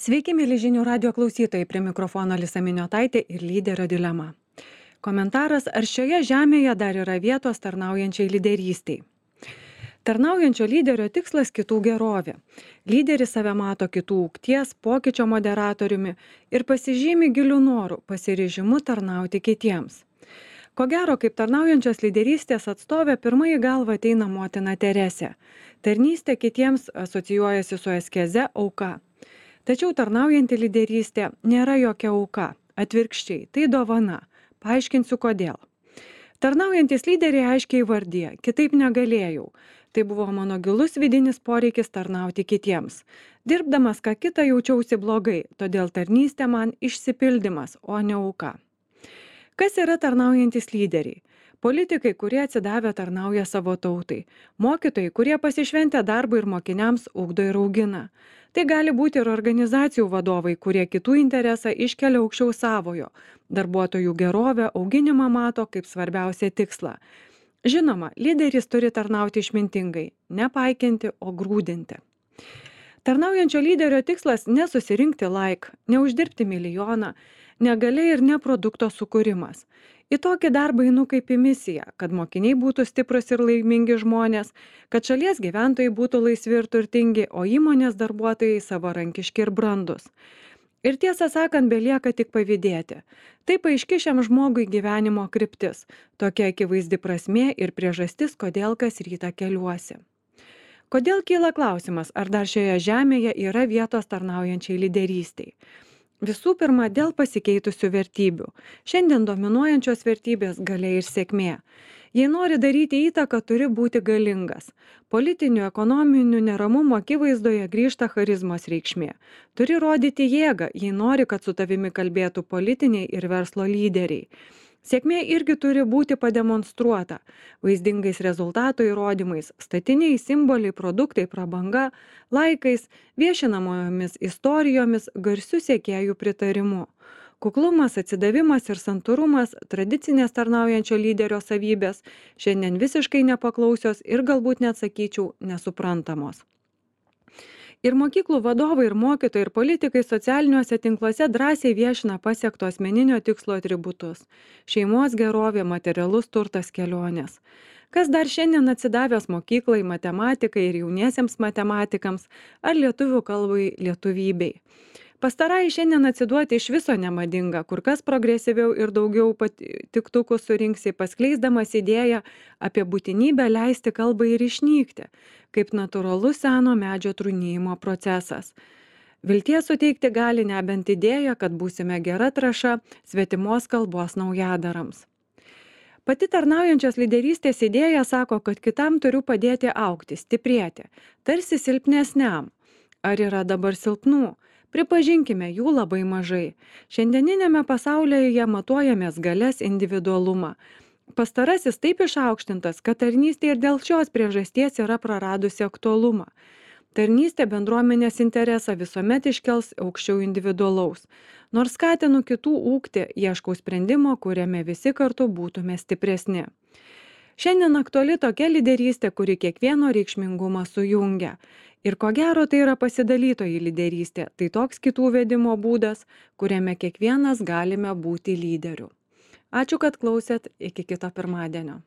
Sveiki, mėly žinių radio klausytojai, prie mikrofono Lisa Miniotaitė ir lyderio dilema. Komentaras, ar šioje žemėje dar yra vietos tarnaujančiai lyderystiai. Tarnaujančio lyderio tikslas kitų gerovė. Lyderis save mato kitų ūgties, pokyčio moderatoriumi ir pasižymi gilių norų, pasiryžimu tarnauti kitiems. Ko gero, kaip tarnaujančios lyderystės atstovė, pirmai į galvą ateina motina Teresė. Tarnystė kitiems asocijuojasi su askeze, auka. Tačiau tarnaujanti lyderystė nėra jokia auka, atvirkščiai, tai dovana. Paaiškinsiu kodėl. Tarnaujantis lyderiai aiškiai įvardija, kitaip negalėjau. Tai buvo mano gilus vidinis poreikis tarnauti kitiems. Dirbdamas ką kitą jaučiausi blogai, todėl tarnystė man išsipildymas, o ne auka. Kas yra tarnaujantis lyderiai? Politikai, kurie atsidavę tarnauja savo tautai. Mokytojai, kurie pasišventę darbui ir mokiniams ugdo ir augina. Tai gali būti ir organizacijų vadovai, kurie kitų interesą iškelia aukščiau savojo. Darbuotojų gerovę, auginimą mato kaip svarbiausią tikslą. Žinoma, lyderis turi tarnauti išmintingai, nepaikinti, o grūdinti. Tarnaujančio lyderio tikslas nesusirinkti neuždirbti milijoną, negalia ir ne produkto sukūrimas. Į tokį darbą einu kaip į misiją, kad mokiniai būtų stiprus ir laimingi žmonės, kad šalies gyventojai būtų laisvi ir turtingi, o įmonės darbuotojai savarankiški ir brandus. Ir tiesą sakant, belieka tik pavydėti. Taip aiški šiam žmogui gyvenimo kryptis, tokia akivaizdi prasmė ir priežastis, kodėl kas rytą keliuosi. Kodėl kyla klausimas, ar dar šioje žemėje yra vietos tarnaujančiai lyderystiai? Visų pirma, dėl pasikeitusių vertybių. Šiandien dominuojančios vertybės galia ir sėkmė. Jei nori daryti įtaką, turi būti galingas. Politinių, ekonominių neramumų akivaizdoje grįžta charizmos reikšmė. Turi rodyti jėgą, jei nori, kad su tavimi kalbėtų politiniai ir verslo lyderiai. Sėkmė irgi turi būti pademonstruota vaizdingais rezultatų įrodymais, statiniai, simboliai, produktai, prabanga, laikais, viešinamojomis istorijomis, garsių sekėjų pritarimu. Kuklumas, atsidavimas ir santūrumas, tradicinės tarnaujančio lyderio savybės, šiandien visiškai nepaklausios ir galbūt net sakyčiau nesuprantamos. Ir mokyklų vadovai, ir mokytojai, ir politikai socialiniuose tinkluose drąsiai viešina pasiekto asmeninio tikslo atributus - šeimos gerovė, materialus turtas, kelionės. Kas dar šiandien atsidavęs mokyklai, matematikai ir jauniesiems matematikams ar lietuvių kalbai lietuvybei. Pastarai šiandien atsiduoti iš viso nemadinga, kur kas progresyviau ir daugiau tiktukų surinksi, paskleisdamas idėją apie būtinybę leisti kalbai ir išnykti, kaip natūralus seno medžio trūnijimo procesas. Vilties suteikti gali nebent idėja, kad būsime gera trąša svetimos kalbos naujadarams. Pati tarnaujančios lyderystės idėja sako, kad kitam turiu padėti augti, stiprėti, tarsi silpnesniam. Ar yra dabar silpnų? Pripažinkime, jų labai mažai. Šiandieninėme pasaulyje matuojamės galias, individualumą. Pastarasis taip išaukštintas, kad tarnystė ir dėl šios priežasties yra praradusi aktualumą. Tarnystė bendruomenės interesą visuomet iškels aukščiau individualaus. Nors skatinu kitų ūgti, ieškau sprendimo, kuriame visi kartu būtume stipresni. Šiandien aktuali tokia lyderystė, kuri kiekvieno reikšmingumą sujungia. Ir ko gero tai yra pasidalytoji lyderystė, tai toks kitų vedimo būdas, kuriame kiekvienas galime būti lyderiu. Ačiū, kad klausėt, iki kito pirmadienio.